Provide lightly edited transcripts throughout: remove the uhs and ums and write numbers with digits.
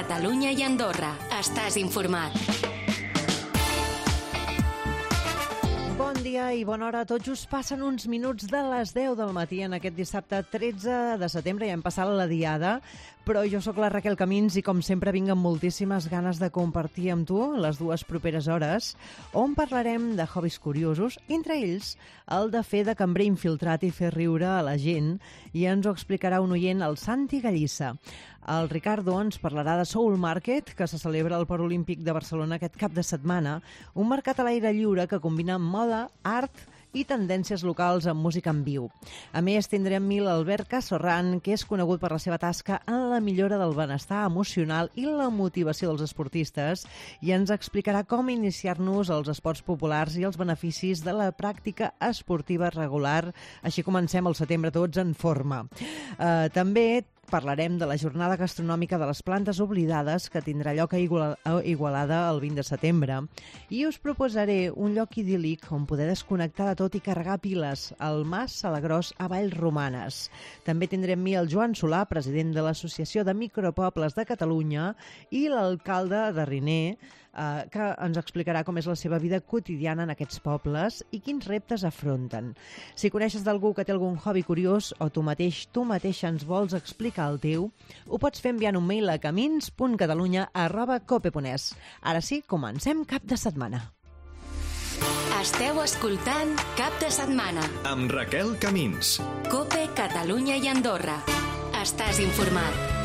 Catalunya i Andorra. Estàs informat. Bon dia i bona hora. Tot just passen uns minuts de les 10 del matí en aquest dissabte 13 de setembre. Ja hem passat la diada, però jo sóc la Raquel Camins i com sempre vinc amb moltíssimes ganes de compartir amb tu les dues properes hores on parlarem de hobbies curiosos, entre ells el de fer de cambrer infiltrat i fer riure a la gent, i ens ho explicarà un oient, el Santi Gallissa. El Ricardo ens parlarà de Soul Market, que se celebra al Port Olímpic de Barcelona aquest cap de setmana, un mercat a l'aire lliure que combina moda, art i tendències locals amb música en viu. A més, tindrem l'Albert Casorran, que és conegut per la seva tasca en la millora del benestar emocional i la motivació dels esportistes, i ens explicarà com iniciar-nos als esports populars i els beneficis de la pràctica esportiva regular. Així comencem el setembre tots en forma. També parlarem de la jornada gastronòmica de les plantes oblidades que tindrà lloc a Igualada el 20 de setembre, i us proposaré un lloc idíl·lic on poder desconnectar de tot i carregar piles, al Mas Salagrós a Vallromanes. També tindrem el Joan Solà, president de l'Associació de Micropobles de Catalunya, i l'alcalde de Riner, que ens explicarà com és la seva vida quotidiana en aquests pobles i quins reptes afronten. Si coneixes d'algú que té algun hobby curiós o tu mateixa ens vols explicar el teu, ho pots fer enviant un mail a camins.catalunya@cope.es. Ara sí, comencem Cap de Setmana. Esteu escoltant Cap de Setmana amb Raquel Camins. Cope, Catalunya i Andorra. Estàs informat.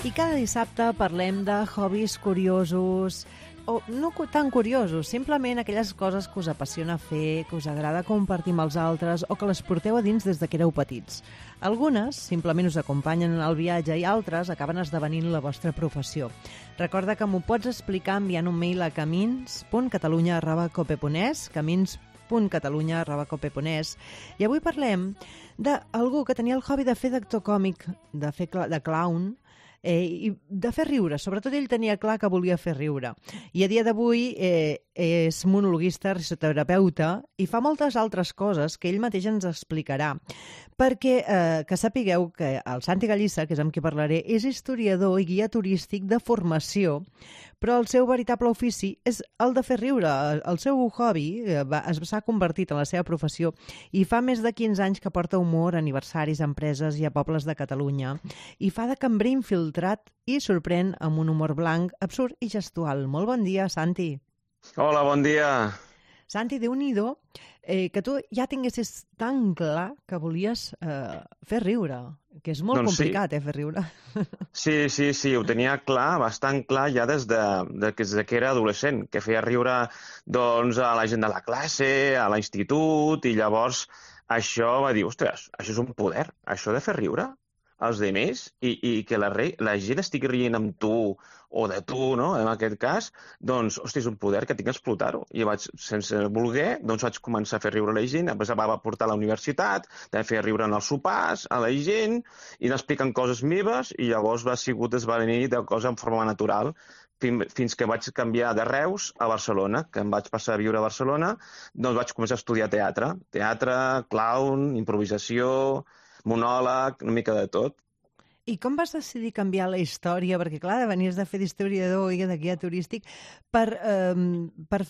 I cada dissabte parlem de hobbies curiosos, o no tan curiosos, simplement aquelles coses que us apassiona fer, que us agrada compartir amb els altres o que les porteu a dins des de que éreu petits. Algunes simplement us acompanyen al viatge i altres acaben esdevenint la vostra professió. Recorda que m'ho pots explicar enviant un mail a camins.catalunya@cope.es, camins.catalunya@cope.es, i avui parlem d'algú que tenia el hobby de fer d'actor còmic, de clown, i de fer riure. Sobretot ell tenia clar que volia fer riure. I a dia d'avui és monologuista, risoterapeuta i fa moltes altres coses que ell mateix ens explicarà. Perquè que sapigueu que el Santi Gallissa, que és amb qui parlaré, és historiador i guia turístic de formació, però el seu veritable ofici és el de fer riure. El seu hobby s'ha convertit en la seva professió i fa més de 15 anys que porta humor a aniversaris, a empreses i a pobles de Catalunya, i fa de cambrer infiltrat i sorprèn amb un humor blanc, absurd i gestual. Molt bon dia, Santi. Hola, bon dia. Santi, Déu-n'hi-do, que tu ja tinguessis tan clar que volies fer riure, que és molt complicat, fer riure. Sí, ho tenia clar, bastant clar ja des que era adolescent, que feia riure doncs, a la gent de la classe, a l'institut, i llavors això va dir, ostres, això és un poder, això de fer riure als altres i que la gent estigui rient amb tu o de tu, no? En aquest cas, doncs, hosti, és un poder que tinc que explotar-ho. I sense voler, doncs vaig començar a fer riure la gent, després va portar a la universitat, també feia riure en els sopars, a la gent, i anar explicant coses meves, i llavors va sigut esdevenir de cosa en forma natural, fins que vaig canviar de Reus a Barcelona, que em vaig passar a viure a Barcelona, doncs vaig començar a estudiar teatre, clown, improvisació, monòleg, una mica de tot. I com vas decidir canviar la història? Perquè, clar, venies de fer d'historiador i de guia turístic per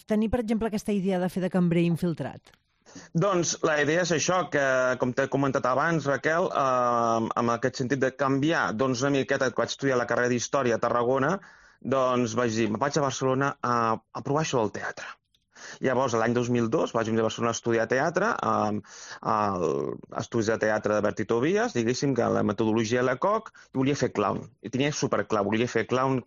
tenir, per exemple, aquesta idea de fer de cambrer infiltrat. Doncs la idea és això, que, com t'he comentat abans, Raquel, en aquest sentit de canviar, doncs una miqueta, que vaig estudiar la carrera d'Història a Tarragona, doncs vaig dir, me'n vaig a Barcelona a provar això del teatre. Llavors, l'any 2002, vaig venir a Barcelona a estudiar teatre, a estudis de teatre de Bertí Tobias, diguéssim que la metodologia de Lecoq, i volia fer clown. I tenia superclar, volia fer clown,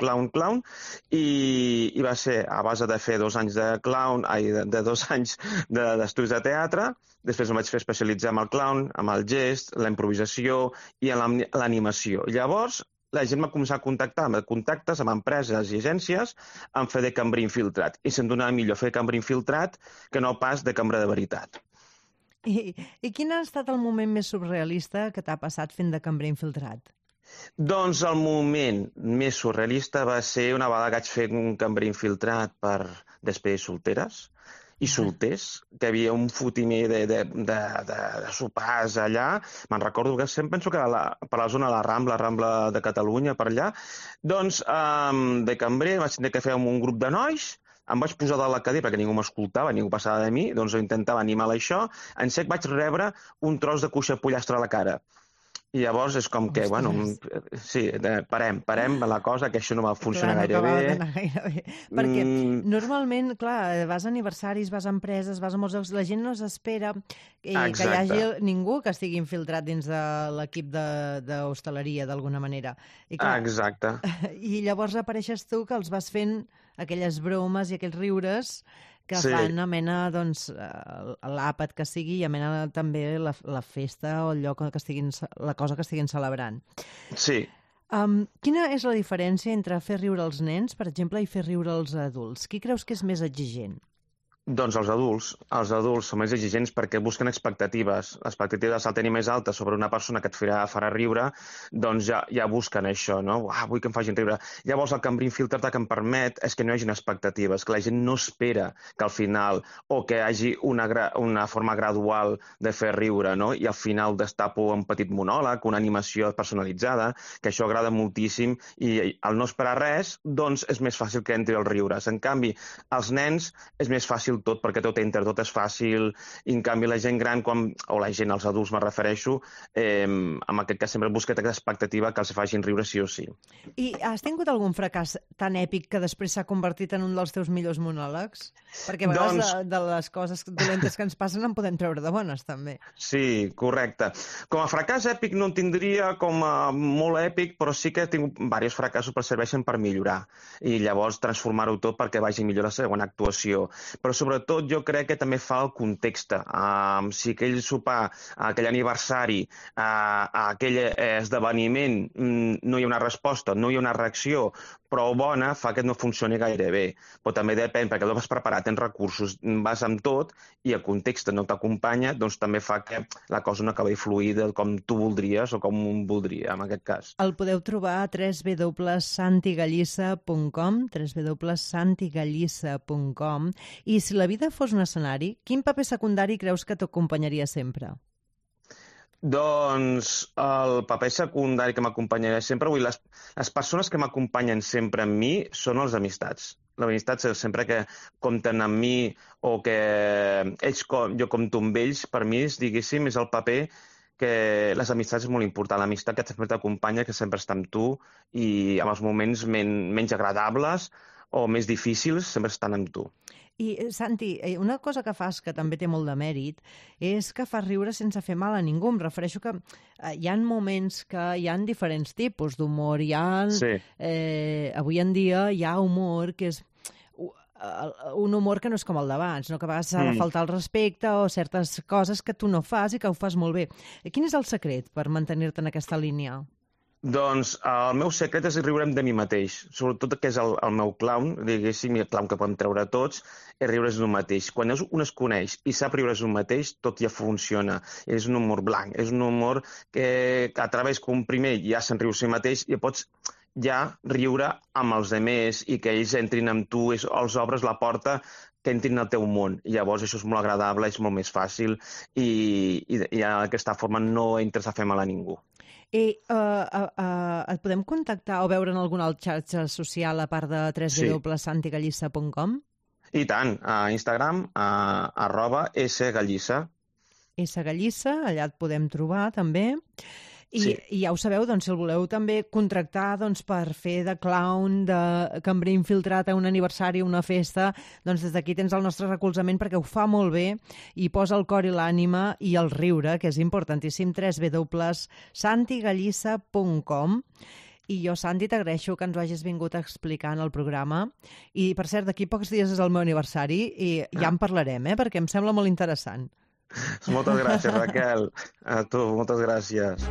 i va ser a base de fer 2 anys de clown, de 2 anys d'estudis de teatre. Després em vaig fer especialitzar en el clown, amb el gest, la improvisació i en l'animació. Llavors, la gent m'ha començat a contactar amb contactes amb empreses i agències en fer de cambrer infiltrat. I se'm donava millor fer cambrer infiltrat que no pas de cambrer de veritat. I quin ha estat el moment més surrealista que t'ha passat fent de cambrer infiltrat? Doncs el moment més surrealista va ser una vegada que vaig fer un cambrer infiltrat per després solteres i solters, que hi havia un fotimer de sopars allà. Me'n recordo que sempre penso que per la zona de la Rambla de Catalunya, per allà. Doncs de cambrer vaig tenir que fer amb un grup de nois, em vaig posar de la cadira perquè ningú m'escoltava, ningú passava de mi, doncs intentava animar això. En sec vaig rebre un tros de cuixa pollastre a la cara. I llavors és com que, bueno, sí, parem la cosa, que això no va funcionar gaire bé. Perquè normalment, clar, vas a aniversaris, vas a empreses, vas a molts llocs, la gent no s'espera que hi hagi ningú que estigui infiltrat dins de l'equip d'hostaleria, d'alguna manera. Exacte. I llavors apareixes tu que els vas fent aquelles bromes i aquells riures que fan amena, doncs, l'àpat que sigui i amena també la festa o el lloc que estiguin, la cosa que estiguin celebrant. Sí. Quina és la diferència entre fer riure els nens, per exemple, i fer riure els adults? Qui creus que és més exigent? Doncs els adults són més exigents perquè busquen expectatives. Les expectatives al tenir més altes sobre una persona que et farà riure, doncs ja busquen això, no? Vull que em facin riure. Llavors el cambrer infiltrat que em permet és que no hi hagi expectatives, que la gent no espera que al final, o que hi hagi una forma gradual de fer riure, no? I al final destapo un petit monòleg, una animació personalitzada, que això agrada moltíssim, i al no esperar res, doncs és més fàcil que entri els riures. En canvi, als nens és més fàcil tot, perquè tot és fàcil, i en canvi la gent gran, els adults me refereixo, en aquest cas sempre busca aquesta expectativa que els facin riure sí o sí. I has tingut algun fracàs tan èpic que després s'ha convertit en un dels teus millors monòlegs? Perquè a vegades de les coses dolentes que ens passen en podem treure de bones, també. Sí, correcte. Com a fracàs èpic no en tindria com a molt èpic, però sí que he tingut diversos fracassos que serveixen per millorar i llavors transformar-ho tot perquè vagi millor la següent actuació. Però sobretot jo crec que també fa el context. Si aquell sopar, aquell aniversari, aquell esdeveniment no hi ha una resposta, no hi ha una reacció prou bona, fa que no funcioni gaire bé. Però també depèn, perquè no vas preparar, tens recursos, vas amb tot i el context no t'acompanya, doncs també fa que la cosa no acabi fluida com tu voldries o com un voldria, en aquest cas. El podeu trobar a www.santigallissa.com, www.santigallissa.com, i si la vida fos un escenari, quin paper secundari creus que t'acompanyaria sempre? Doncs el paper secundari que m'acompanyaria sempre, les persones que m'acompanyen sempre amb mi són les amistats. Les amistats sempre que compten amb mi o que jo compto amb ells, per mi, diguéssim, és el paper que les amistats és molt important. L'amistat que sempre t'acompanya, que sempre està amb tu i en els moments menys agradables o més difícils sempre estan amb tu. I, Santi, una cosa que fas que també té molt de mèrit és que fas riure sense fer mal a ningú. Em refereixo que hi ha moments que hi ha diferents tipus d'humor. Avui en dia hi ha humor que és un humor que no és com el d'abans, no? Que a vegades s'ha de faltar el respecte o certes coses que tu no fas i que ho fas molt bé. Quin és el secret per mantenir-te en aquesta línia? Doncs el meu secret és riure'm de mi mateix, sobretot que és el meu clown, diguéssim, el clown que podem treure tots, és riure's d'un mateix. Quan un es coneix i sap riure's d'un mateix, tot ja funciona. És un humor blanc, és un humor que a través que un primer ja se'n riu si mateix i pots ja riure amb els altres i que ells entrin amb tu, els obres la porta que entrin al teu món. I llavors això és molt agradable, és molt més fàcil i d'aquesta forma no entres a fer mal a ningú. I et podem contactar o veure en alguna xarxa social a part de www.santigallissa.com? I tant, a Instagram, @sgallissa. Sgallissa, allà et podem trobar també. I ja ho sabeu, doncs, si el voleu també contractar per fer de clown, de cambrer infiltrat a un aniversari o una festa, doncs des d'aquí tens el nostre recolzament perquè ho fa molt bé i posa el cor i l'ànima i el riure, que és importantíssim, www.santigallissa.com. I jo, Santi, t'agraeixo que ens ho hagis vingut a explicar en el programa. I, per cert, d'aquí pocs dies és el meu aniversari i ja en parlarem, perquè em sembla molt interessant. Moltes gràcies, Raquel. A tu, moltes gràcies.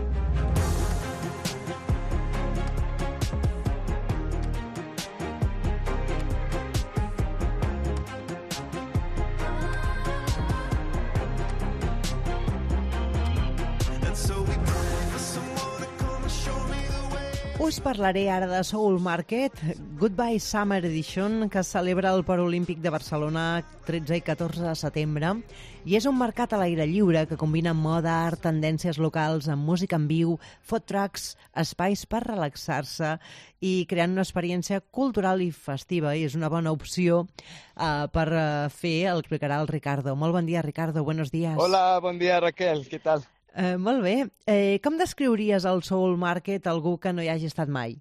Us parlaré ara de Soul Market, Goodbye Summer Edition, que es celebra al Port Olímpic de Barcelona 13 i 14 de setembre, i és un mercat a l'aire lliure que combina moda, art, tendències locals, amb música en viu, food trucks, espais per relaxar-se i creant una experiència cultural i festiva, i és una bona opció per fer, el explicarà el Ricardo. Molt bon dia, Ricardo, buenos días. Hola, bon dia, Raquel, què tal? Molt bé. Com descriuries el Soul Market a algú que no hi hagi estat mai?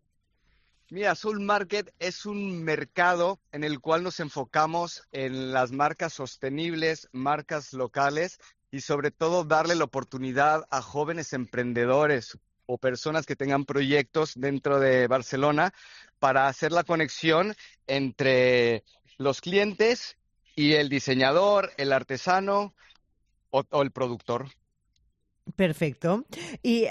Mira, Soul Market es un mercado en el cual nos enfocamos en las marcas sostenibles, marcas locales y sobre todo darle la oportunidad a jóvenes emprendedores o personas que tengan proyectos dentro de Barcelona para hacer la conexión entre los clientes y el diseñador, el artesano o el productor. Perfecto. I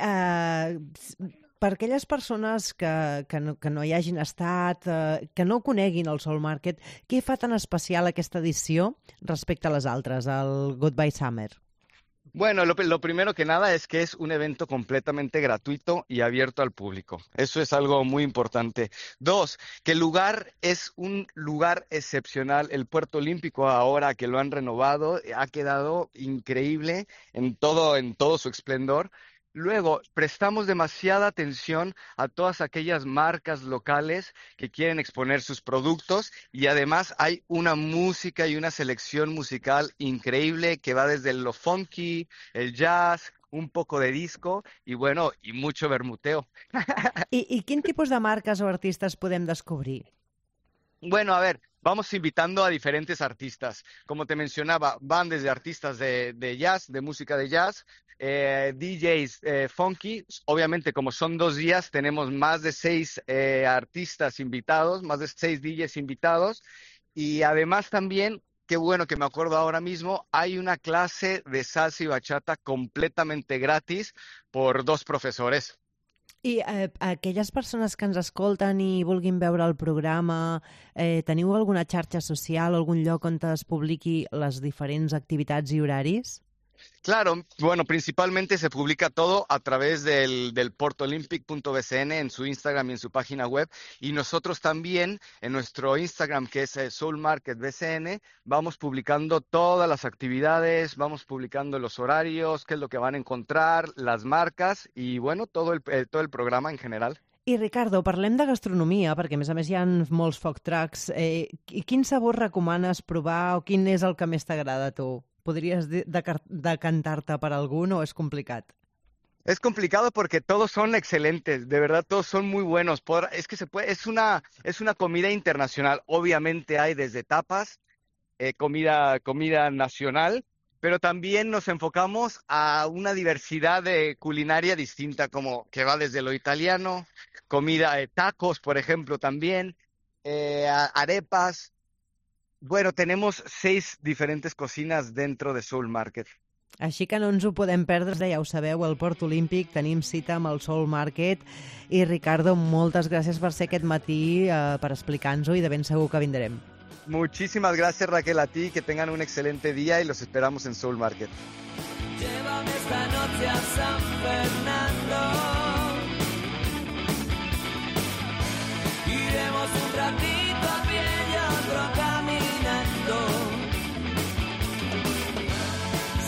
per aquelles persones que no hi hagin estat, que no coneguin el Soul Market, què fa tan especial aquesta edició respecte a les altres, el Goodbye Summer? Bueno, lo primero que nada es que es un evento completamente gratuito y abierto al público. Eso es algo muy importante. 2, que el lugar es un lugar excepcional. El Puerto Olímpico, ahora que lo han renovado, ha quedado increíble en todo su esplendor. Luego, prestamos demasiada atención a todas aquellas marcas locales que quieren exponer sus productos y además hay una música y una selección musical increíble que va desde lo funky, el jazz, un poco de disco y bueno, y mucho vermuteo. I quin tipus de marques o artistes podem descobrir? Bueno, a ver, vamos invitando a diferentes artistas. Como te mencionaba, van desde artistas de jazz, de música de jazz, DJs funky. Obviamente, como son 2 días, tenemos más de 6 artistas invitados, más de 6 DJs invitados. Y además también, qué bueno que me acuerdo ahora mismo, hay una clase de salsa y bachata completamente gratis por 2 profesores. I aquelles persones que ens escolten i vulguin veure el programa, teniu alguna xarxa social o algun lloc on es publiqui les diferents activitats i horaris? Claro, bueno, principalmente se publica todo a través del portolympic.bcn en su Instagram y en su página web. Y nosotros también en nuestro Instagram, que es Soul Market BCN, vamos publicando todas las actividades, vamos publicando los horarios, qué es lo que van a encontrar, las marcas y, bueno, todo el programa en general. I, Ricardo, parlem de gastronomia, perquè a més hi ha molts food trucks. Quin sabor recomanes provar o quin és el que més t'agrada a tu? ¿Podrías decantar-te per algun o es complicat? Es complicado porque todos son excelentes, de verdad todos son muy buenos. Es una comida internacional. Obviamente hay desde tapas, comida nacional, pero también nos enfocamos a una diversidad de culinaria distinta, como que va desde lo italiano, comida de tacos, por ejemplo, también, arepas. Bueno, tenemos 6 diferentes cocinas dentro de Soul Market. Així que no ens ho podem perdre, ja ho sabeu, al Port Olímpic tenim cita amb el Soul Market. I, Ricardo, moltes gràcies per ser aquest matí, per explicar-nos-ho, i de ben segur que vindrem. Muchísimas gracias, Raquel, a ti, que tengan un excelente día y los esperamos en Soul Market. Llévame esta noche a San Fernando. Iremos un ratito a pie y otro caminando.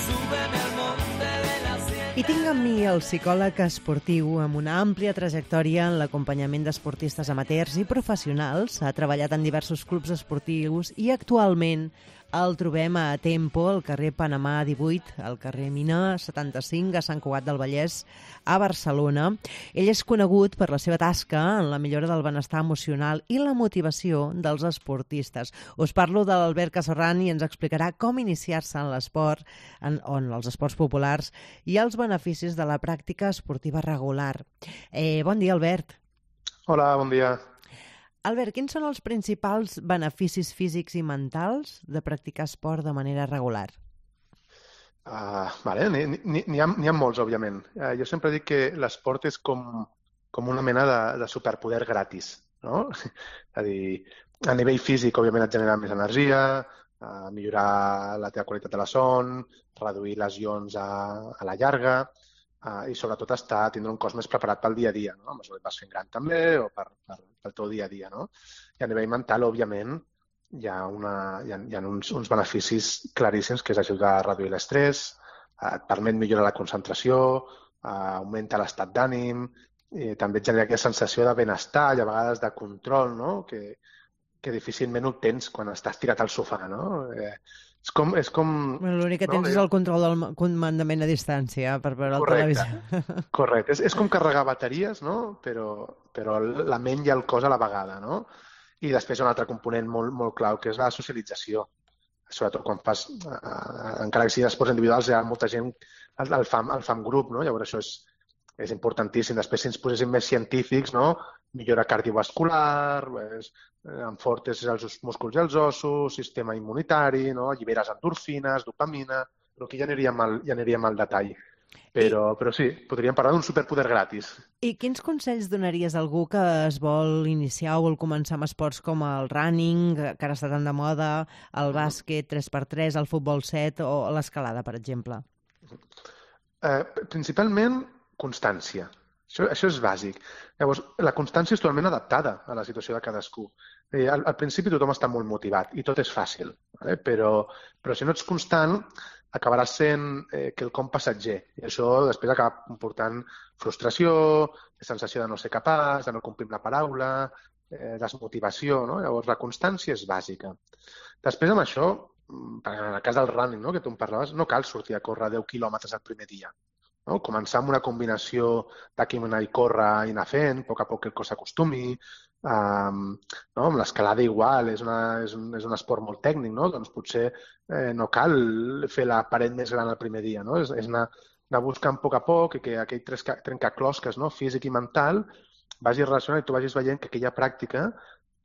Súbeme al monte de la Sierra. I tinc amb mi el psicòleg esportiu amb una àmplia trajectòria en l'acompanyament d'esportistes amateurs i professionals. Ha treballat en diversos clubs esportius i actualment el trobem a Tempo, al carrer Panamà 18, al carrer Mina 75, a Sant Cugat del Vallès, a Barcelona. Ell és conegut per la seva tasca en la millora del benestar emocional i la motivació dels esportistes. Us parlo de l'Albert Casorran i ens explicarà com iniciar-se en l'esport, en els esports populars i els beneficis de la pràctica esportiva regular. Bon dia, Albert. Hola, bon dia. Albert, quins són els principals beneficis físics i mentals de practicar esport de manera regular? N'hi ha molts, òbviament. Jo sempre dic que l'esport és com una mena de superpoder gratis, no? És a dir, a nivell físic, òbviament, et genera més energia, millorar la teva qualitat de la son, reduir lesions a la llarga, i sobretot tindre un cos més preparat pel dia a dia, no? A mesura que vas fent gran també o pel teu dia a dia, no? I a nivell mental, òbviament, hi ha uns beneficis claríssims, que és ajudar a reduir l'estrès, et permet millorar la concentració, augmenta l'estat d'ànim, i també et genera aquesta sensació de benestar i a vegades de control, no? Que difícilment obtens quan estàs tirat al sofà, no? És com... L'únic que tens és el control del comandament a distància per veure el televisió. Correcte. És com carregar bateries, no? Però la ment i el cos a la vegada, no? I després un altre component molt clau, que és la socialització. Sobretot quan fas, encara que siguin esports individuals, hi ha molta gent, el fam grup, no? Llavors això és importantíssim. Després, si ens poséssim més científics, no? Millora cardiovascular, enfortes els músculs i els ossos, sistema immunitari, no? Alliberes endorfines, dopamina, però aquí ja aniríem al detall. Però sí, podríem parlar d'un superpoder gratis. I quins consells donaries a algú que es vol iniciar o vol començar amb esports com el running, que ara està tan de moda, el bàsquet 3x3, el futbol 7 o l'escalada, per exemple? Principalment, constància. Això és bàsic. Llavors, la constància és totalment adaptada a la situació de cadascú. Al principi tothom està molt motivat i tot és fàcil, però si no ets constant acabaràs sent quelcom passatger i això després acaba comportant frustració, sensació de no ser capaç, de no complir la paraula, desmotivació, no? Llavors la constància és bàsica. Després amb això, en el cas del running, no? Que tu em parlaves, no cal sortir a córrer 10 quilòmetres el primer dia. No? Començar amb una combinació de caminar i córrer i anar fent, a poc que el cos s'acostumi. No? Amb l'escalada igual, és un esport molt tècnic, no? Doncs potser no cal fer la paret més gran el primer dia, no? És anar buscant a poc i que aquell trencaclosques, no? Físic i mental vagi relacionant i tu vagis veient que aquella pràctica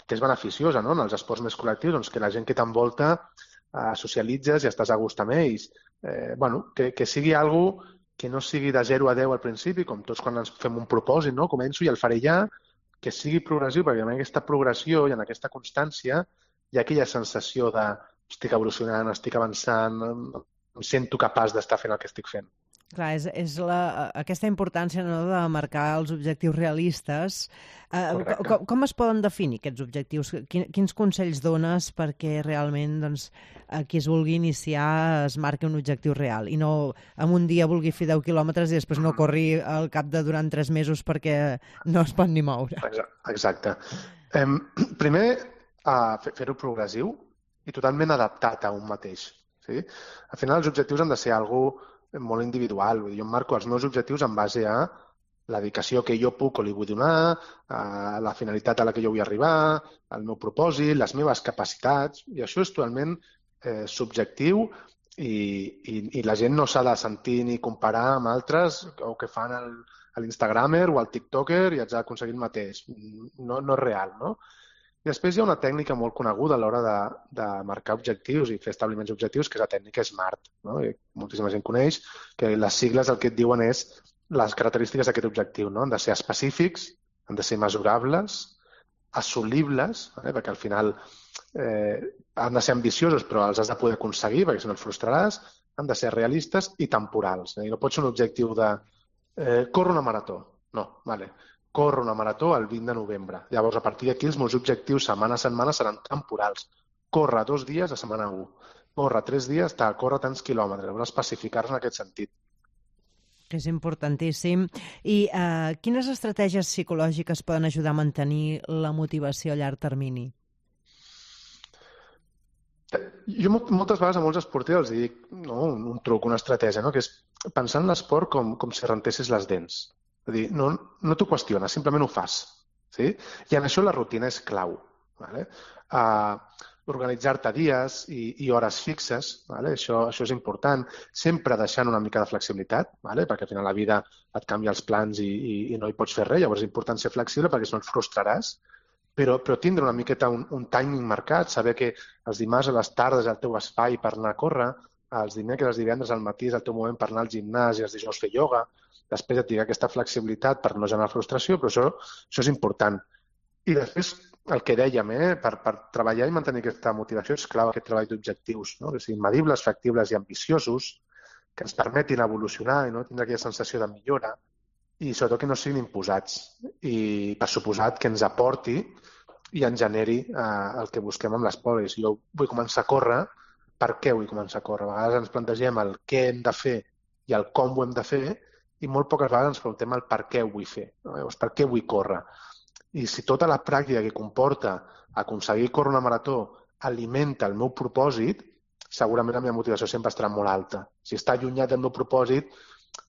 és beneficiosa, no? En els esports més col·lectius, doncs que la gent que t'envolta socialitzes i estàs a gust amb ells. Que sigui alguna cosa que no sigui de 0 a 10 al principi, com tots quan ens fem un propòsit, no? Començo i el faré ja, que sigui progressiu, perquè en aquesta progressió i en aquesta constància hi ha aquella sensació de estic evolucionant, estic avançant, em sento capaç d'estar fent el que estic fent. Clar, és aquesta importància, no, de marcar els objectius realistes. Com es poden definir aquests objectius? Quins consells dones perquè realment qui es vulgui iniciar es marqui un objectiu real i no en un dia vulgui fer 10 quilòmetres i després no corri al cap de durant 3 mesos perquè no es pot ni moure? Exacte. Primer, fer-ho progressiu i totalment adaptat a un mateix. Sí? Al final, els objectius han de ser alguna molt individual. Jo em marco els meus objectius en base a la dedicació que jo puc o li vull donar, a la finalitat a la que jo vull arribar, al meu propòsit, les meves capacitats, i això és totalment subjectiu i la gent no s'ha de sentir ni comparar amb altres o que fan a l'Instagramer o al TikToker i haig d'aconseguir el mateix. No és real, no? I després hi ha una tècnica molt coneguda a l'hora de marcar objectius i fer establiments objectius, que és la tècnica SMART. No? I moltíssima gent coneix que les sigles el que et diuen és les característiques d'aquest objectiu. No? Han de ser específics, han de ser mesurables, assolibles, perquè al final han de ser ambiciosos però els has de poder aconseguir perquè si no et frustraràs, han de ser realistes i temporals. No pot ser un objectiu de córrer una marató. No, vale. Corro una marató el 20 de novembre. Llavors, a partir d'aquí, els meus objectius setmana a setmana seran temporals. Corre 2 dies a setmana 1. Corre 3 dies, corre tants quilòmetres. Llavors, especificar-se en aquest sentit. És importantíssim. I quines estratègies psicològiques poden ajudar a mantenir la motivació a llarg termini? Jo moltes vegades a molts esportius els dic un truc, una estratègia, que és pensar en l'esport com si rentessis les dents. És a dir, no t'ho qüestiones, simplement ho fas. Sí? I en això la rutina és clau. Vale? Organitzar-te dies i hores fixes, vale? Això és important, sempre deixant una mica de flexibilitat, vale? Perquè al final la vida et canvia els plans i no hi pots fer res, llavors és important ser flexible perquè si no et frustraràs, però tindre una miqueta un timing marcat, saber que els dimarts a les tardes és el teu espai per anar a córrer, els dimecres, els divendres al matí és el teu moment per anar al gimnàs i els dijous fer ioga, després et dirà aquesta flexibilitat per no generar frustració, però això és important. I després, el que dèiem, per treballar i mantenir aquesta motivació és clau aquest treball d'objectius, no? Que siguin medibles, factibles i ambiciosos, que ens permetin evolucionar i no tindre aquella sensació de millora i sobretot que no siguin imposats i per suposat que ens aporti i ens generi el que busquem amb l'esport. Si jo vull començar a córrer, per què vull començar a córrer? A vegades ens plantegem el què hem de fer i el com ho hem de fer i molt poques vegades ens preguntem el per què ho vull fer. No? Llavors, per què vull córrer? I si tota la pràctica que comporta aconseguir córrer una marató alimenta el meu propòsit, segurament la meva motivació sempre estarà molt alta. Si està allunyat del meu propòsit,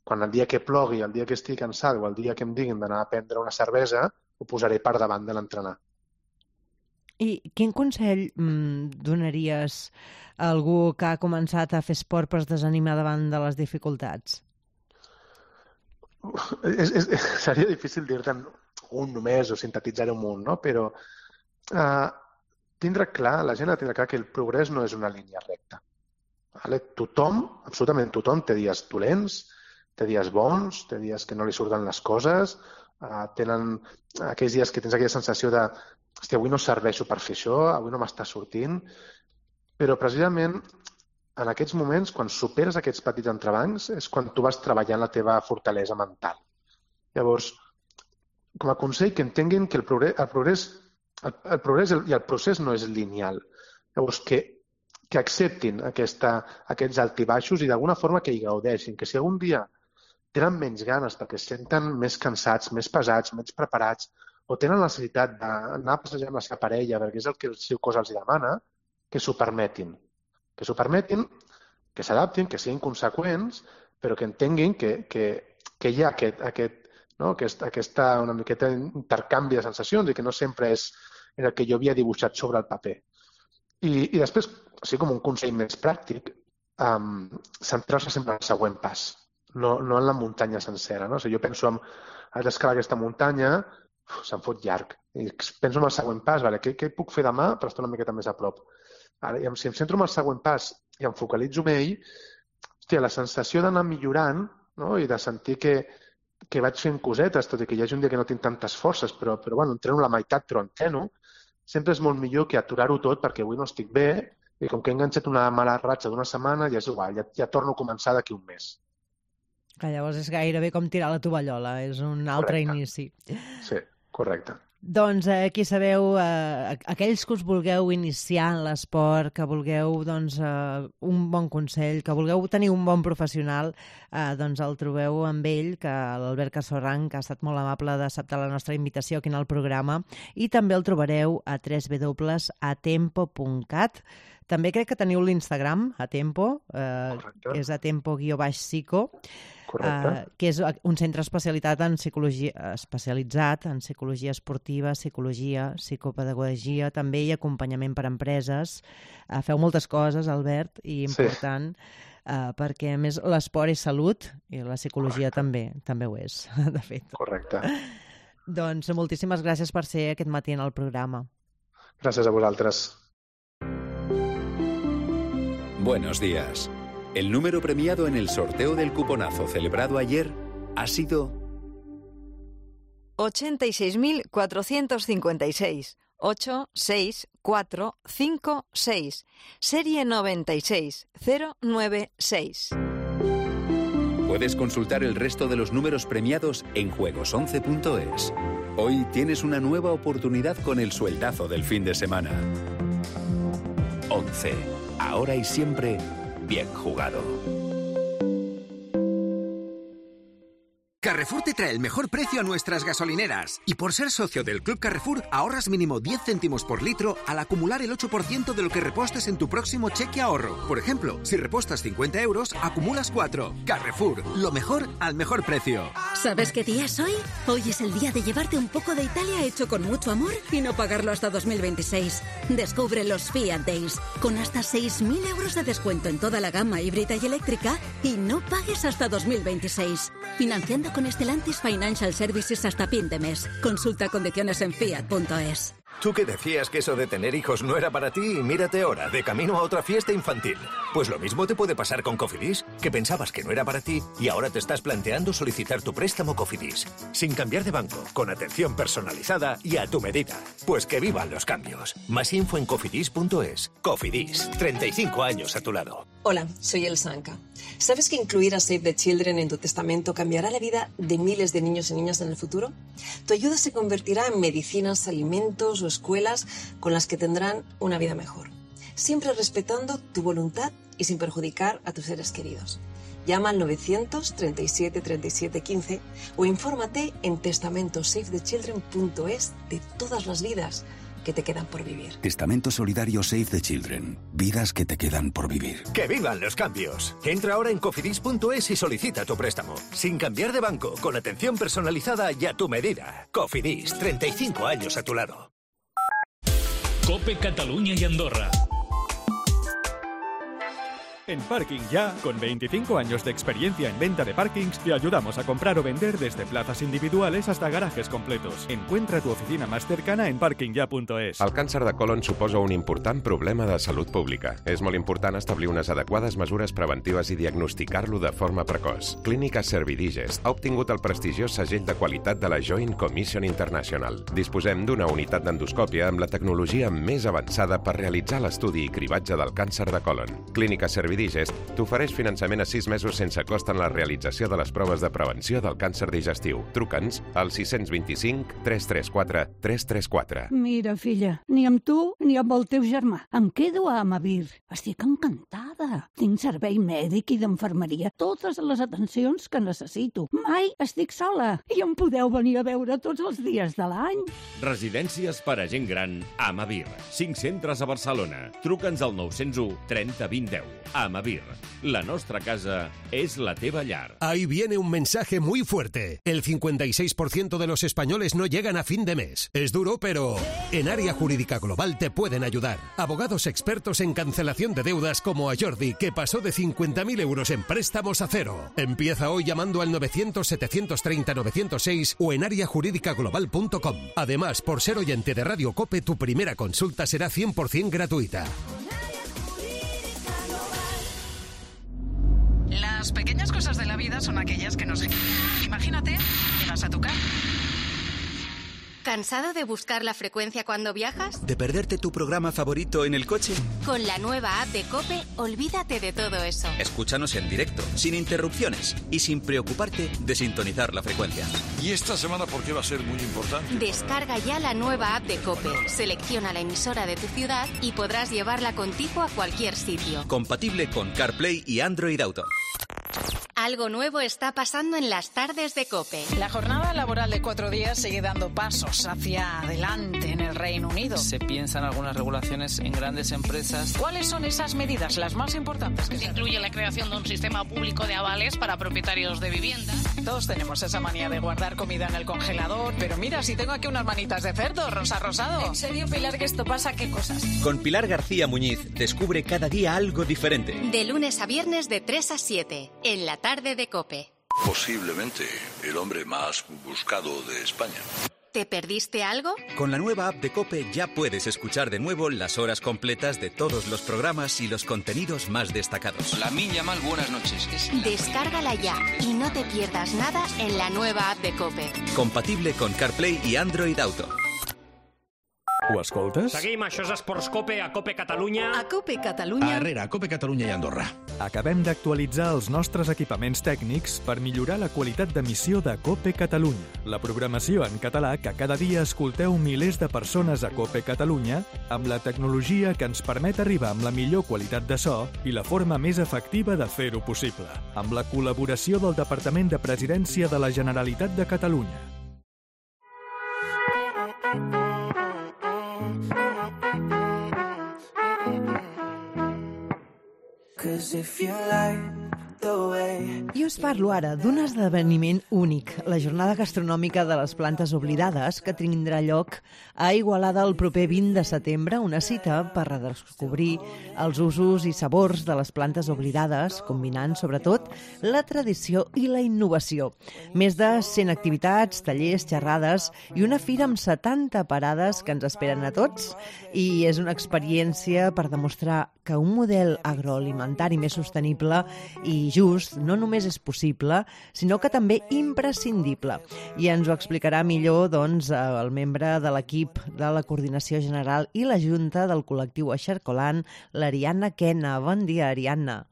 quan el dia que plogui, el dia que estigui cansat o el dia que em diguin d'anar a prendre una cervesa, ho posaré per davant de l'entrenar. I quin consell donaries a algú que ha començat a fer esport però es desanima davant de les dificultats? Seria difícil dir-te un només o sintetitzar-ho un munt, no? Però tindre clar, la gent ha de tindre clar que el progrés no és una línia recta. Vale? Tothom, absolutament tothom, té dies dolents, té dies bons, té dies que no li surten les coses, tenen aquells dies que tens aquella sensació de hòstia, avui no serveixo per fer això, avui no m'està sortint, però precisament en aquests moments, quan superes aquests petits entrebancs, és quan tu vas treballant la teva fortalesa mental. Llavors, com a consell, que entenguin que el progrés i el procés no és lineal. Llavors, que acceptin aquests altibaixos i d'alguna forma que hi gaudeixin, que si algun dia tenen menys ganes perquè es senten més cansats, més pesats, menys preparats, o tenen la necessitat d'anar a passejar amb la seva parella perquè és el que el seu cos els demana, que s'ho permetin. Que s'ho permetin, que s'adaptin, que siguin conseqüents, però que entenguin que hi ha aquest una miqueta intercanvi de sensacions i que no sempre és el que jo havia dibuixat sobre el paper. I després, així com un consell més pràctic, centrar-se sempre en el següent pas, no en la muntanya sencera. No? O sigui, jo penso en haig d'escalar aquesta muntanya, se'm fot llarg. I penso en el següent pas, vale, què puc fer demà per estar una miqueta més a prop? Ara, si em centro en el següent pas i em focalitzo en ell, hòstia, la sensació d'anar millorant, no? I de sentir que vaig fent cosetes, tot i que hi hagi un dia que no tinc tantes forces, però bueno, entreno la meitat, però entreno, sempre és molt millor que aturar-ho tot perquè avui no estic bé i com que he enganxat una mala ratxa d'una setmana, ja és igual, ja torno a començar d'aquí un mes. Que llavors és gairebé com tirar la tovallola, és un altre inici. Sí, correcte. Doncs aquí sabeu, aquells que us vulgueu iniciar en l'esport, que vulgueu un bon consell, que vulgueu tenir un bon professional, doncs el trobeu amb ell, que l'Albert Casorran, que ha estat molt amable d'acceptar la nostra invitació aquí en el programa, i també el trobareu a www.atempo.cat. També crec que teniu l'Instagram, Atempo, que és atempo_psico, que és un centre especialitzat en psicologia esportiva, psicologia, psicopedagogia, també i acompanyament per a empreses. Feu moltes coses, Albert, i important, perquè a més l'esport és salut i la psicologia també ho és, de fet. Correcte. Doncs moltíssimes gràcies per ser aquest matí en el programa. Gràcies a vosaltres. Buenos días. El número premiado en el sorteo del cuponazo celebrado ayer ha sido 86.456. 86456. Serie 96096. Puedes consultar el resto de los números premiados en juegos11.es. Hoy tienes una nueva oportunidad con el sueldazo del fin de semana. 11. Ahora y siempre, bien jugado. Carrefour te trae el mejor precio a nuestras gasolineras. Y por ser socio del Club Carrefour, ahorras mínimo 10 céntimos por litro al acumular el 8% de lo que repostes en tu próximo cheque ahorro. Por ejemplo, si repostas 50 euros, acumulas 4. Carrefour, lo mejor al mejor precio. ¿Sabes qué día es hoy? Hoy es el día de llevarte un poco de Italia hecho con mucho amor y no pagarlo hasta 2026. Descubre los Fiat Days, con hasta 6.000 euros de descuento en toda la gama híbrida y eléctrica y no pagues hasta 2026. Financiando con Stellantis Financial Services hasta fin de mes. Consulta condiciones en fiat.es. Tú que decías que eso de tener hijos no era para ti y mírate ahora, de camino a otra fiesta infantil. Pues lo mismo te puede pasar con Cofidis, que pensabas que no era para ti y ahora te estás planteando solicitar tu préstamo Cofidis. Sin cambiar de banco, con atención personalizada y a tu medida. Pues que vivan los cambios. Más info en cofidis.es. Cofidis, 35 años a tu lado. Hola, soy El Sanca. ¿Sabes que incluir a Save the Children en tu testamento cambiará la vida de miles de niños y niñas en el futuro? Tu ayuda se convertirá en medicinas, alimentos o escuelas con las que tendrán una vida mejor. Siempre respetando tu voluntad y sin perjudicar a tus seres queridos. Llama al 937 37 15 o infórmate en testamentosavethechildren.es de todas las vidas que te quedan por vivir. Testamento Solidario Save the Children. Vidas que te quedan por vivir. ¡Que vivan los cambios! Entra ahora en cofidis.es y solicita tu préstamo. Sin cambiar de banco, con atención personalizada y a tu medida. Cofidis, 35 años a tu lado. COPE Cataluña y Andorra. En Parking Ya, con 25 años de experiencia en venta de parkings, te ayudamos a comprar o vender desde plazas individuales hasta garajes completos. Encuentra tu oficina más cercana en parkingya.es. El càncer de colon suposa un important problema de salut pública. És molt important establir unes adequades mesures preventives i diagnosticar-lo de forma precoç. Clínica Servidigest ha obtingut el prestigiós segell de qualitat de la Joint Commission International. Disposem d'una unitat d'endoscòpia amb la tecnologia més avançada per realitzar l'estudi i cribatge del càncer de colon. Clínica Servidigest t'ofereix finançament a 6 mesos sense cost en la realització de les proves de prevenció del càncer digestiu. Truca'ns al 625 334 334. Mira, filla, ni amb tu ni amb el teu germà. Em quedo a Amavir. Estic encantada. Tinc servei mèdic i d'infermeria, totes les atencions que necessito. Mai estic sola i em podeu venir a veure tots els dies de l'any. Residències per a gent gran Amavir. 5 centres a Barcelona. Truca'ns al 901 30 20 10. Amavir, la nostra casa es la teva llar. Ahí viene un mensaje muy fuerte. El 56% de los españoles no llegan a fin de mes. Es duro, pero en Área Jurídica Global te pueden ayudar. Abogados expertos en cancelación de deudas como a Jordi, que pasó de 50.000 euros en préstamos a cero. Empieza hoy llamando al 900-730-906 o en areajuridicaglobal.com. Además, por ser oyente de Radio COPE, tu primera consulta será 100% gratuita. Las pequeñas cosas de la vida son aquellas que nos... Imagínate, llegas a tu casa. ¿Cansado de buscar la frecuencia cuando viajas? ¿De perderte tu programa favorito en el coche? Con la nueva app de COPE, olvídate de todo eso. Escúchanos en directo, sin interrupciones y sin preocuparte de sintonizar la frecuencia. ¿Y esta semana por qué va a ser muy importante? Descarga ya la nueva app de COPE, selecciona la emisora de tu ciudad y podrás llevarla contigo a cualquier sitio. Compatible con CarPlay y Android Auto. Algo nuevo está pasando en las tardes de COPE. La jornada laboral de 4 días sigue dando pasos hacia adelante en el Reino Unido. Se piensan algunas regulaciones en grandes empresas. ¿Cuáles son esas medidas, las más importantes? Se incluye la creación de un sistema público de avales para propietarios de vivienda. Todos tenemos esa manía de guardar comida en el congelador, pero mira, si tengo aquí unas manitas de cerdo, rosa rosado. ¿En serio, Pilar, que esto pasa? ¿Qué cosas? Con Pilar García Muñiz descubre cada día algo diferente. De lunes a viernes de 3 a 7, en la tarde de COPE. Posiblemente el hombre más buscado de España. ¿Te perdiste algo? Con la nueva app de COPE ya puedes escuchar de nuevo las horas completas de todos los programas y los contenidos más destacados. La Minya Mal, buenas noches. Descárgala ya y no te pierdas nada en la nueva app de COPE. Compatible con CarPlay y Android Auto. Ho escoltes? Seguim, això és Esports COPE, a COPE Catalunya. A COPE Catalunya. A COPE Catalunya i Andorra. Acabem d'actualitzar els nostres equipaments tècnics per millorar la qualitat d'emissió de COPE Catalunya, la programació en català que cada dia escolteu milers de persones a COPE Catalunya amb la tecnologia que ens permet arribar amb la millor qualitat de so i la forma més efectiva de fer-ho possible, amb la col·laboració del Departament de Presidència de la Generalitat de Catalunya. Cause if you like I us parlo ara d'un esdeveniment únic, la jornada gastronòmica de les plantes oblidades, que tindrà lloc a Igualada el proper 20 de setembre, una cita per redescobrir els usos i sabors de les plantes oblidades, combinant sobretot la tradició i la innovació. Més de 100 activitats, tallers, xerrades i una fira amb 70 parades que ens esperen a tots, i és una experiència per demostrar que un model agroalimentari més sostenible i just no només és possible, sinó que també imprescindible. I ens ho explicarà millor doncs, el membre de l'equip de la Coordinació General i la Junta del col·lectiu Eixarcolant, l'Ariadna Kena. Bon dia, Ariadna.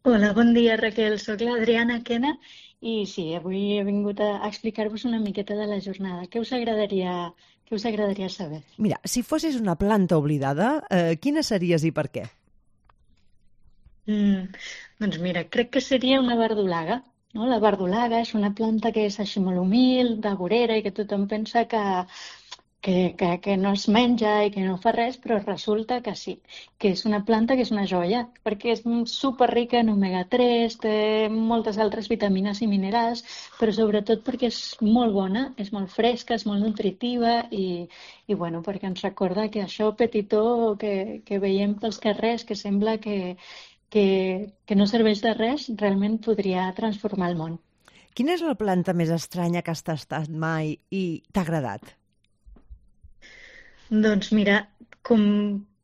Hola, bon dia, Raquel. Soc l'Adriana Kena i sí, avui he vingut a explicar-vos una miqueta de la jornada. Què us agradaria saber? Mira, si fossis una planta oblidada, quina series i per què? Doncs mira, crec que seria una verdolaga. No? La verdolaga és una planta que és així molt humil, de vorera, i que tothom pensa que no es menja i que no fa res, però resulta que sí, que és una planta que és una joia, perquè és superrica en omega-3, té moltes altres vitamines i minerals, però sobretot perquè és molt bona, és molt fresca, és molt nutritiva i bueno, perquè ens recorda que això petitó que veiem pels carrers, que sembla que no serveix de res, realment podria transformar el món. Quina és la planta més estranya que has tastat mai i t'ha agradat? Doncs mira, com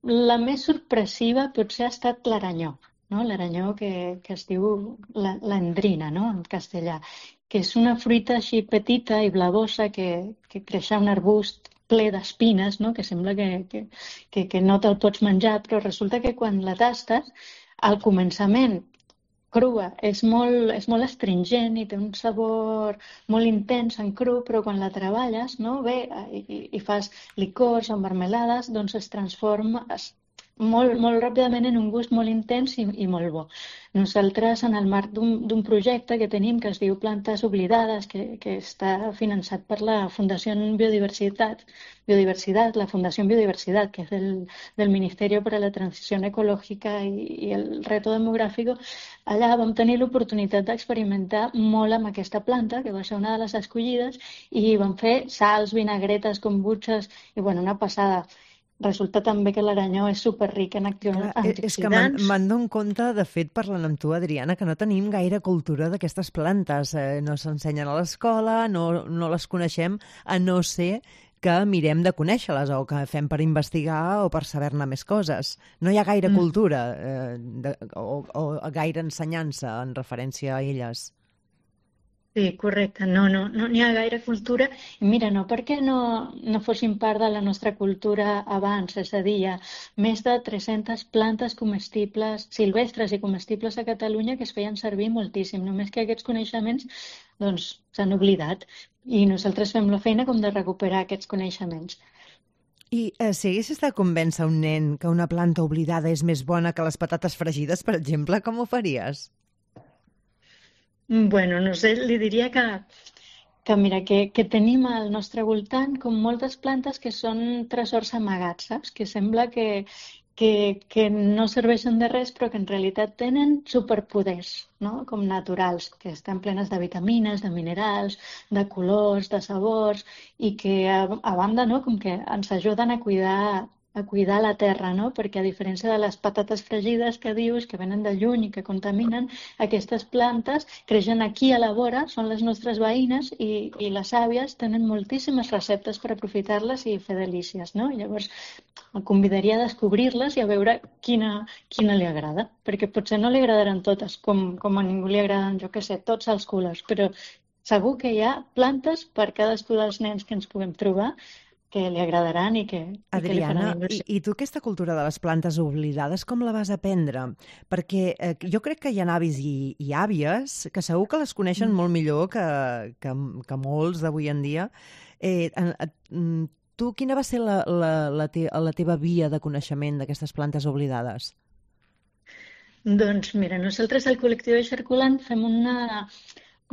la més sorpressiva potser ha estat l'aranyó, no? L'aranyó que es diu l'endrina, no? En castellà, que és una fruita així petita i blavosa que creix a un arbust ple d'espines, no? Que sembla que no te'l pots menjar, però resulta que quan la tastes, al començament, crua, és molt astringent i té un sabor molt intens en cru, però quan la treballes, no, bé, i fas licors o marmelades, doncs es transforma molt ràpidament en un gust molt intens i molt bo. Nosaltres, en el marc d'un projecte que tenim que es diu Plantes Oblidades, que està finançat per la Fundació Biodiversitat, la Fundació Biodiversitat, que és del Ministerio para la Transición Ecológica i el Reto Demográfico, allà vam tenir l'oportunitat d'experimentar molt amb aquesta planta, que va ser una de les escollides, i vam fer sals, vinagretes, kombuches, i bueno, una passada. Resulta també que l'aranyó és superric en antioxidants. És que me'n dono compte, de fet, parlant amb tu, Adriana, que no tenim gaire cultura d'aquestes plantes. No s'ensenyen a l'escola, no les coneixem, a no ser que mirem de conèixer-les o que fem per investigar o per saber-ne més coses. No hi ha gaire cultura o gaire ensenyança en referència a elles. Sí, correcte. No n'hi ha gaire cultura. I mira, no perquè no fossin part de la nostra cultura abans, és a dir, hi ha més de 300 plantes comestibles, silvestres i comestibles a Catalunya que es feien servir moltíssim, només que aquests coneixements doncs s'han oblidat i nosaltres fem la feina com de recuperar aquests coneixements. I si haguessis de convèncer un nen que una planta oblidada és més bona que les patates fregides, per exemple, com ho faries? Bueno, no sé, li diria que mira, que tenim al nostre voltant com moltes plantes que són tresors amagats, saps? Que sembla que no serveixen de res, però que en realitat tenen superpoders, no? Com naturals, que estan plenes de vitamines, de minerals, de colors, de sabors, i que a banda, no? Com que ens ajuden a cuidar la terra, no? Perquè a diferència de les patates fregides que dius, que venen de lluny i que contaminen, aquestes plantes creixen aquí a la vora, són les nostres veïnes i les àvies tenen moltíssimes receptes per aprofitar-les i fer delícies, no? Llavors, el convidaria a descobrir-les i a veure quina li agrada, perquè potser no li agradaran totes, com a ningú li agraden, jo què sé, tots els colors, però segur que hi ha plantes per cadascú dels nens que ens puguem trobar que li agradaran i que li faran il·lusió. I tu aquesta cultura de les plantes oblidades com la vas aprendre? Perquè jo crec que hi ha avis i àvies que segur que les coneixen molt millor que molts d'avui en dia. Tu, quina va ser la teva via de coneixement d'aquestes plantes oblidades? Doncs mira, nosaltres al col·lectiu Eixarcolant fem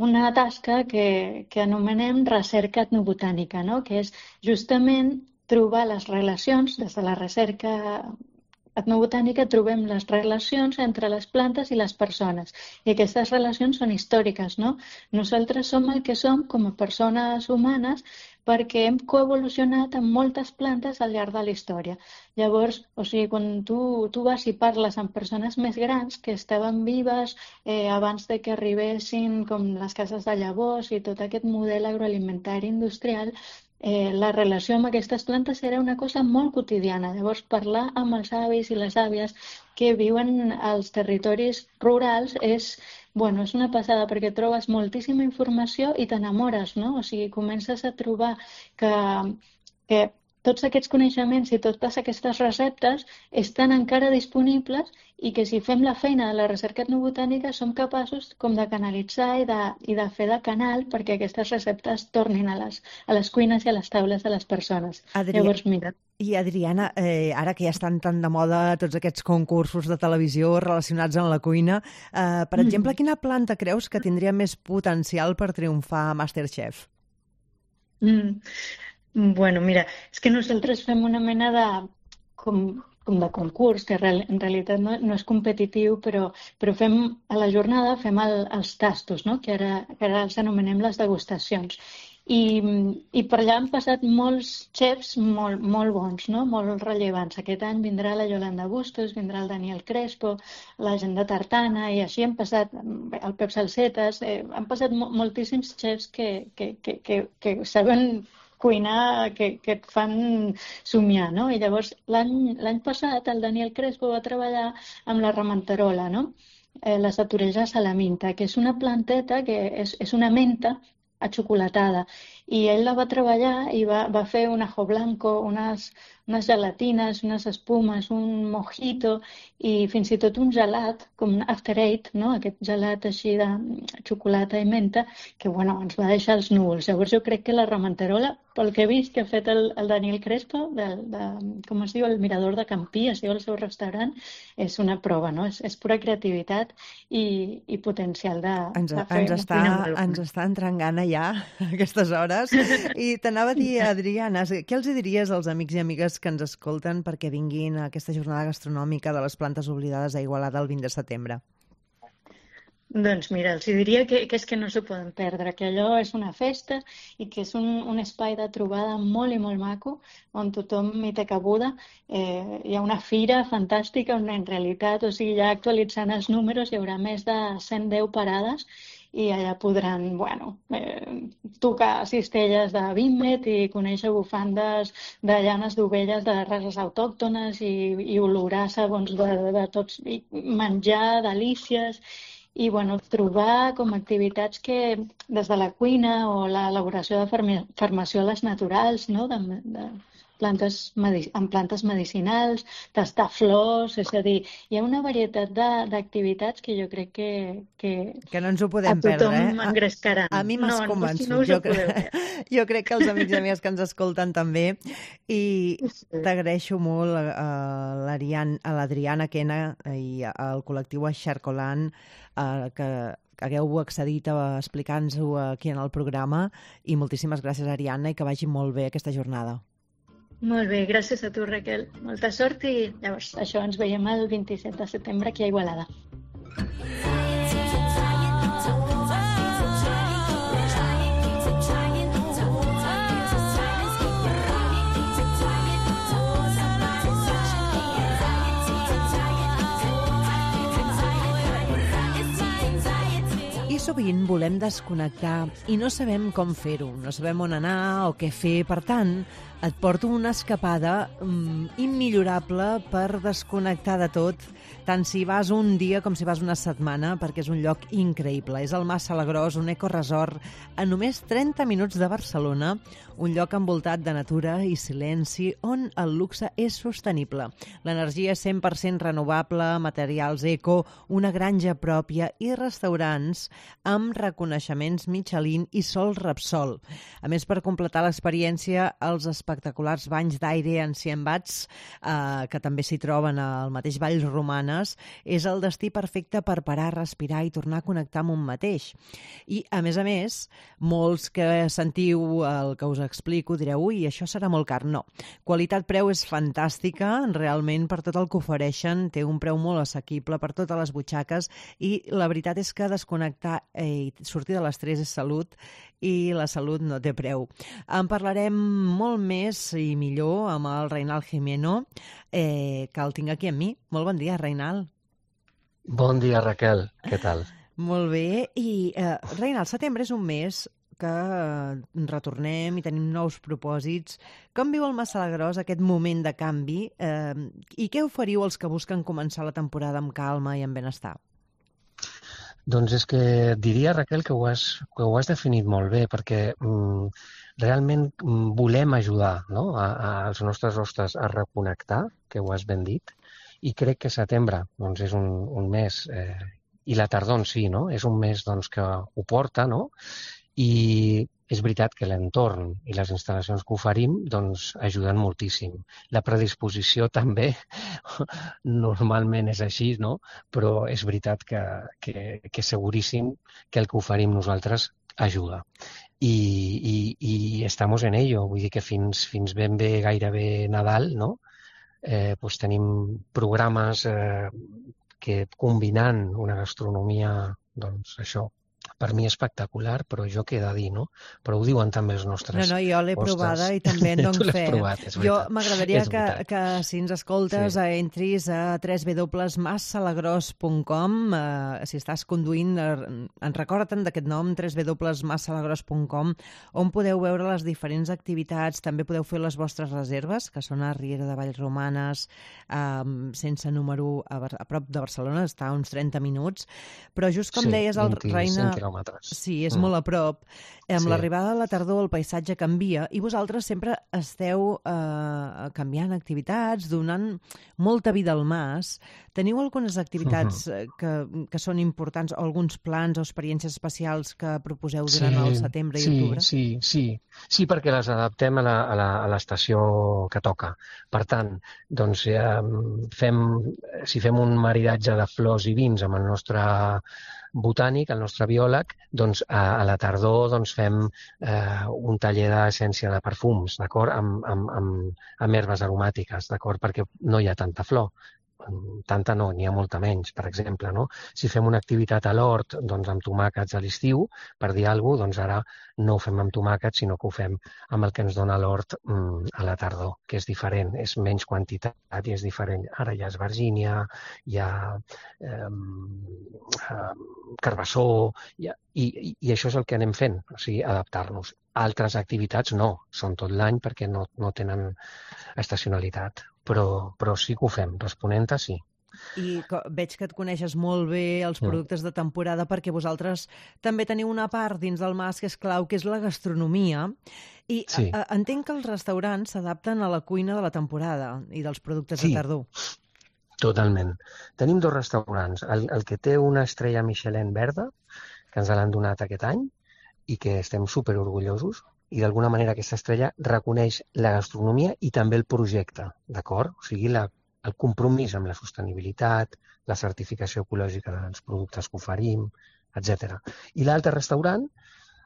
una tasca que anomenem recerca etnobotànica, no? Que és justament trobar les relacions des de la recerca etnobotànica trobem les relacions entre les plantes i les persones. I aquestes relacions són històriques, no? Nosaltres som el que som com a persones humanes perquè hem coevolucionat amb moltes plantes al llarg de la història. Llavors, o sigui, quan tu vas i parles amb persones més grans que estaven vives abans de que arribessin com les cases de llavors i tot aquest model agroalimentari industrial, la relació amb aquestes plantes era una cosa molt quotidiana. Llavors, parlar amb els avis i les àvies que viuen als territoris rurals és una passada perquè trobes moltíssima informació i t'enamores, no? O sigui, comences a trobar que tots aquests coneixements i totes aquestes receptes estan encara disponibles i que si fem la feina de la recerca etnobotànica som capaços com de canalitzar i de fer de canal perquè aquestes receptes tornin a les cuines i a les taules de les persones. Llavors, mira. I Adriana, ara que ja estan tan de moda tots aquests concursos de televisió relacionats amb la cuina, per exemple, quina planta creus que tindria més potencial per triomfar a MasterChef? Bueno, mira, és que nosaltres fem una mena de de concurs, que en realitat no és competitiu, però fem a la jornada els tastos, no? que ara els anomenem les degustacions. I per allà han passat molts xefs molt bons, no? Molt rellevants. Aquest any vindrà la Yolanda Bustos, vindrà el Daniel Crespo, la Agenda Tartana, i així han passat el Pep Salsetes, han passat moltíssims xefs que saben cuinar, que et fan somiar, no? I llavors l'any passat el Daniel Crespo va treballar amb la ramantarola, no? La Satureja salaminta, que és una planteta que és una menta achocolatada, i ell la va treballar i va fer un ajo blanco, unes gelatines, unes espumes, un mojito i fins i tot un gelat, com un after eight, no? Aquest gelat així de xocolata i menta, que ens va deixar els núvols. Llavors jo crec que la ramantarola, pel que he vist que ha fet el Daniel Crespo, com es diu, el Mirador de Campí, es diu el seu restaurant, és una prova, no? És pura creativitat i potencial de fer una cuina molt bona. Ens està entrant gana ja a aquestes hores. I t'anava a dir, Adriana, què els diries als amics i amigues que ens escolten perquè vinguin a aquesta jornada gastronòmica de les plantes oblidades a Igualada el 20 de setembre? Doncs mira, els diria que és que no s'ho poden perdre, que allò és una festa i que és un espai de trobada molt i molt maco, on tothom hi té cabuda. Hi ha una fira fantàstica on en realitat, o sigui, ja actualitzant els números, hi haurà més de 110 parades i allà podran, tocar cistelles de Vímet i conèixer bufandes de llanes d'ovelles de races autòctones i olorar sabons de tots, i menjar delícies. I trobar com activitats que des de la cuina o l'elaboració de farmacioles naturals, no? Amb plantes medicinals, tastar flors, és a dir, hi ha una varietat d'activitats que jo crec que no ens ho podem perdre, a tothom engrescaran. A mi m'has convençut. Jo crec que els amics i amigues que ens escolten també, i t'agraeixo molt a l'Adriana Quena i al col·lectiu Xarcolant que hagueu accedit a explicar-nos-ho aquí en el programa, i moltíssimes gràcies, Ariadna, i que vagi molt bé aquesta jornada. Molt bé, gràcies a tu, Raquel. Molta sort i llavors això ens veiem el 27 de setembre aquí a Igualada. Sovint volem desconnectar i no sabem com fer-ho, no sabem on anar o què fer. Per tant, et porto una escapada immillorable per desconnectar de tot, tant si vas un dia com si vas una setmana, perquè és un lloc increïble. És el Mas Salagrós, un ecoresort a només 30 minuts de Barcelona, un lloc envoltat de natura i silenci on el luxe és sostenible. L'energia és 100% renovable, materials eco, una granja pròpia i restaurants amb reconeixements Michelin i Sol Repsol. A més, per completar l'experiència, els espectaculars banys d'aire en 100 watts, que també s'hi troben al mateix Vall Romanes, persones és el destí perfecte per parar, respirar i tornar a connectar amb un mateix. I, a més, molts que sentiu el que us explico direu, ui, això serà molt car. No. Qualitat-preu és fantàstica, realment per tot el que ofereixen, té un preu molt assequible per totes les butxaques i la veritat és que desconnectar i sortir de l'estrès és salut i la salut no té preu. En parlarem molt més i millor amb el Reinald Gimeno, que el tinc aquí amb mi. Molt bon dia, Reinald. Bon dia, Raquel. Què tal? Molt bé. I, Reinald, setembre és un mes que retornem i tenim nous propòsits. Com viu el Massalagrós aquest moment de canvi i què oferiu als que busquen començar la temporada amb calma i amb benestar? Doncs és que diria, Raquel, que ho has definit molt bé, perquè realment volem ajudar, no? als nostres hostes a reconnectar, que ho has ben dit, i crec que setembre doncs, és un mes, i la tardor en si, no? És un mes doncs, que ho porta, no? I és veritat que l'entorn i les instal·lacions que oferim doncs, ajuden moltíssim. La predisposició també normalment és així, no? Però és veritat que seguríssim que el que oferim nosaltres ajuda. I estamos en ello, vull dir que fins ben bé gairebé Nadal, no? Pues tenim programes que combinant una gastronomia, doncs això, per mi espectacular, però jo què he de dir, no? Però ho diuen també els nostres No, jo l'he provada i també en dono fe. Jo m'agradaria que si ens escoltes entris a www.massalagrós.com. Si estàs conduint, recorda'n d'aquest nom, www.massalagrós.com, on podeu veure les diferents activitats. També podeu fer les vostres reserves, que són a Riera de Vallromanes, sense número, a prop de Barcelona, està a uns 30 minuts. Però just com deies, el Reina... Sí, és molt a prop. Amb l'arribada de la tardor el paisatge canvia i vosaltres sempre esteu canviant activitats, donant molta vida al mas. Teniu algunes activitats que són importants, o alguns plans o experiències especials que proposeu durant el setembre i octubre? Sí, perquè les adaptem a l'estació que toca. Per tant, doncs, si fem un maridatge de flors i vins amb el nostre botànic, el nostre biòleg, doncs a la tardor doncs, fem un taller d'essència de perfums, d'acord? Amb herbes aromàtiques, d'acord? Perquè no hi ha tanta flor. Tanta no, n'hi ha molta menys, per exemple, no? Si fem una activitat a l'hort, doncs amb tomàquets a l'estiu, per dir alguna cosa, doncs ara no ho fem amb tomàquets, sinó que ho fem amb el que ens dona l'hort a la tardor, que és diferent, és menys quantitat i és diferent. Ara hi ha esvergínia, hi ha carbassó, i això és el que anem fent, o sigui, adaptar-nos. Altres activitats no, són tot l'any perquè no tenen estacionalitat. Però sí que ho fem, responent-te sí. I veig que et coneixes molt bé els productes de temporada perquè vosaltres també teniu una part dins del mas que és clau, que és la gastronomia. I entenc que els restaurants s'adapten a la cuina de la temporada i dels productes de tardor. Totalment. Tenim 2 restaurants. El que té una estrella Michelin verda, que ens l'han donat aquest any, i que estem superorgullosos, i d'alguna manera aquesta estrella reconeix la gastronomia i també el projecte, d'acord? O sigui, el compromís amb la sostenibilitat, la certificació ecològica dels productes que oferim, etc. I l'altre restaurant,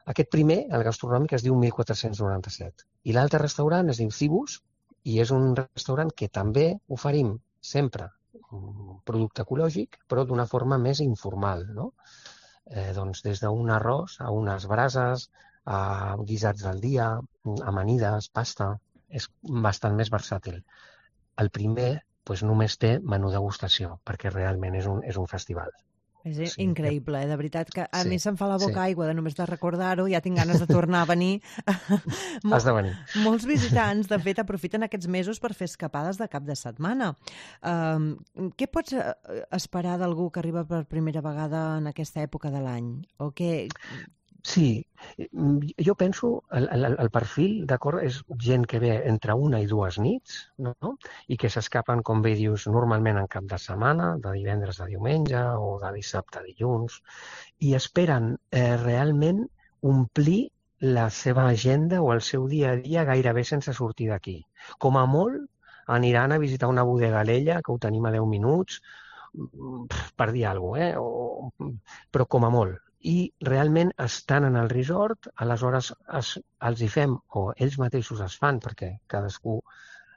aquest primer, el gastronòmic, es diu 1497. I l'altre restaurant es diu Cibus i és un restaurant que també oferim sempre un producte ecològic, però d'una forma més informal, no? Doncs des d'un arròs a unes brases, a guisats del dia, amanides, pasta, és bastant més versàtil. El primer només té menú degustació, perquè realment és un festival. És increïble, de veritat, que a mi se'm fa la boca aigua de només de recordar-ho, ja tinc ganes de tornar a venir. Has de venir. Molts visitants, de fet, aprofiten aquests mesos per fer escapades de cap de setmana. Què pots esperar d'algú que arriba per primera vegada en aquesta època de l'any? O què... Sí, jo penso, el perfil, d'acord, és gent que ve entre 1 i 2 nits, no? I que s'escapen, com bé dius, normalment en cap de setmana, de divendres a diumenge o de dissabte a dilluns, i esperen realment omplir la seva agenda o el seu dia a dia gairebé sense sortir d'aquí. Com a molt, aniran a visitar una bodega a l'Ella, que ho tenim a 10 minuts, per dir alguna cosa, però com a molt. I realment estan en el resort, aleshores els hi fem, o ells mateixos es fan, perquè cadascú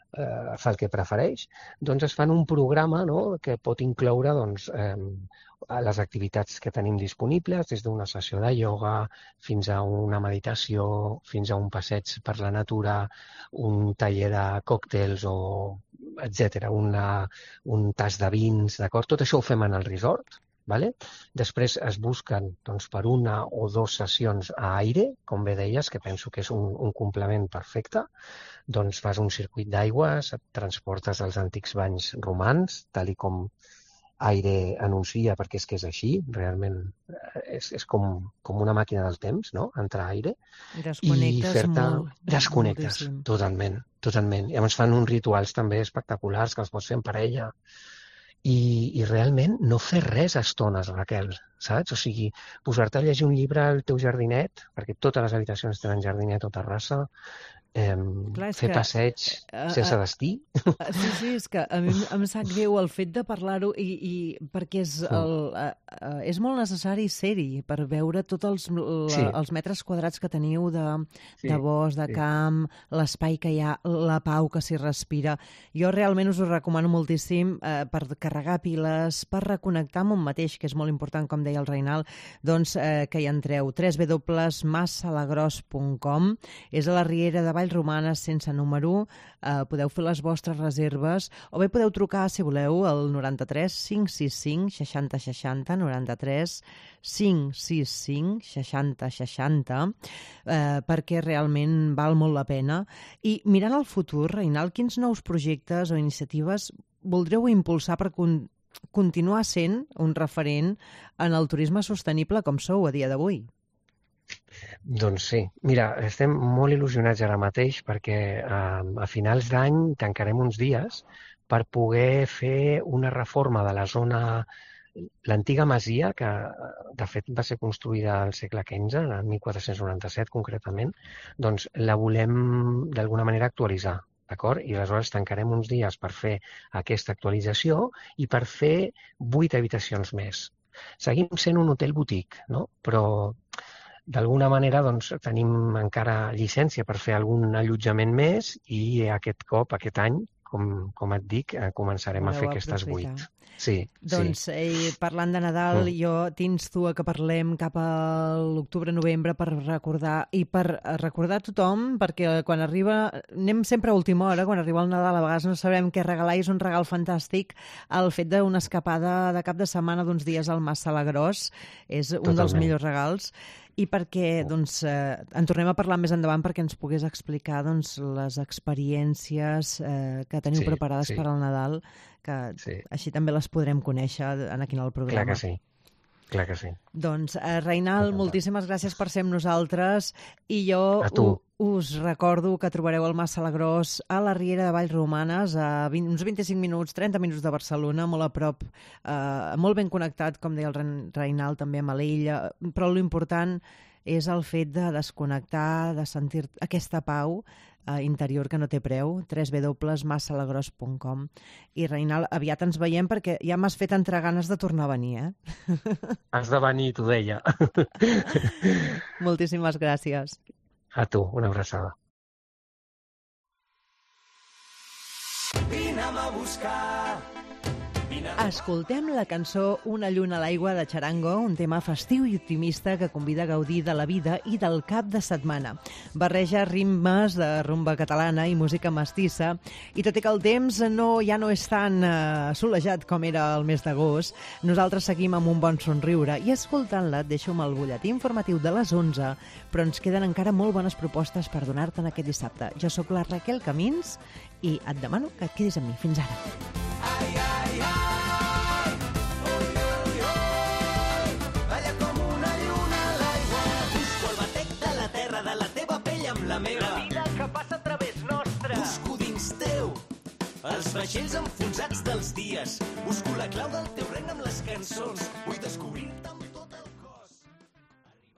fa el que prefereix, doncs es fan un programa, no?, que pot incloure les activitats que tenim disponibles, des d'una sessió de ioga fins a una meditació, fins a un passeig per la natura, un taller de còctels, etc., un tas de vins, d'acord? Tot això ho fem en el resort. Vale? Després es busquen per 1 o 2 sessions a aire, com bé deies, que penso que és un complement perfecte. Doncs fas un circuit d'aigües, et transportes als antics banys romans, tal i com Aire anuncia, perquè és que és així, realment és com una màquina del temps, no?, entrar a Aire. Desconnectes molt. Desconnectes, totalment. I llavors fan uns rituals també espectaculars que els pots fer en parella. I realment no fer res a estones, Raquel, saps? O sigui, posar-te a llegir un llibre al teu jardinet, perquè totes les habitacions tenen jardinet o terrassa, fer passeig sense destí. Sí, és que a mi em sap greu el fet de parlar-ho perquè és molt necessari ser-hi per veure tots els metres quadrats que teniu de bosc, de camp, l'espai que hi ha, la pau que s'hi respira. Jo realment us ho recomano moltíssim per carregar piles, per reconnectar amb un mateix, que és molt important, com deia el Reinald, doncs que hi entreu. www.massalagross.com. És a la Riera de Vallromanes, sense número. Podeu fer les vostres reserves o bé podeu trucar, si voleu, al 93 565 60 60, 93 565 60 60, perquè realment val molt la pena. I mirant al futur, Reinald, quins nous projectes o iniciatives voldreu impulsar per continuar sent un referent en el turisme sostenible com sou a dia d'avui? Doncs sí. Mira, estem molt il·lusionats ara mateix perquè a finals d'any tancarem uns dies per poder fer una reforma de la zona, l'antiga masia, que de fet va ser construïda al segle XV, en 1497 concretament, doncs la volem d'alguna manera actualitzar. D'acord? I aleshores tancarem uns dies per fer aquesta actualització i per fer 8 habitacions més. Seguim sent un hotel boutique, no? Però d'alguna manera doncs, tenim encara llicència per fer algun allotjament més i aquest cop, aquest any, com et dic, començarem a fer aquestes 8. Sí. Doncs parlant de Nadal, jo t'insto a que parlem cap a l'octubre-novembre per recordar a tothom, perquè quan arriba, anem sempre a última hora, quan arriba el Nadal a vegades no sabem què regalar i és un regal fantàstic el fet d'una escapada de cap de setmana d'uns dies al Mas Salagross, és un dels millors regals. I perquè en tornem a parlar més endavant perquè ens pogués explicar les experiències que teniu preparades per al Nadal, que així també les podrem conèixer aquí en el programa. Clar que sí. Doncs, Reinald, moltíssimes gràcies per ser amb nosaltres i jo us recordo que trobareu el Mas Salagross a la Riera de Vallromanes, a uns 25 minuts, 30 minuts de Barcelona, molt a prop, molt ben connectat, com deia el Reinald, també amb l'illa, però l'important és el fet de desconnectar, de sentir aquesta pau interior que no té preu, www.massalagross.com. I Reinald, aviat ens veiem perquè ja m'has fet entrar ganes de tornar a venir, Has de venir, t'ho deia. Moltíssimes gràcies. A tu, una abraçada. Vine'm a buscar. Escoltem la cançó Una lluna a l'aigua de Charango, un tema festiu i optimista que convida a gaudir de la vida i del cap de setmana. Barreja ritmes de rumba catalana i música mestissa, i tot i que el temps ja no és tan solejat com era el mes d'agost, nosaltres seguim amb un bon somriure i escoltant-la et deixo amb el butlletí informatiu de les 11, però ens queden encara molt bones propostes per donar-te'n aquest dissabte. Jo sóc la Raquel Camins i et demano que et quedis amb mi. Fins ara. Ai, ai, ai. La vida que passa a través nostre. Busco dins teu els vaixells enfonsats dels dies. Busco la clau del teu regne amb les cançons. Vull descobrir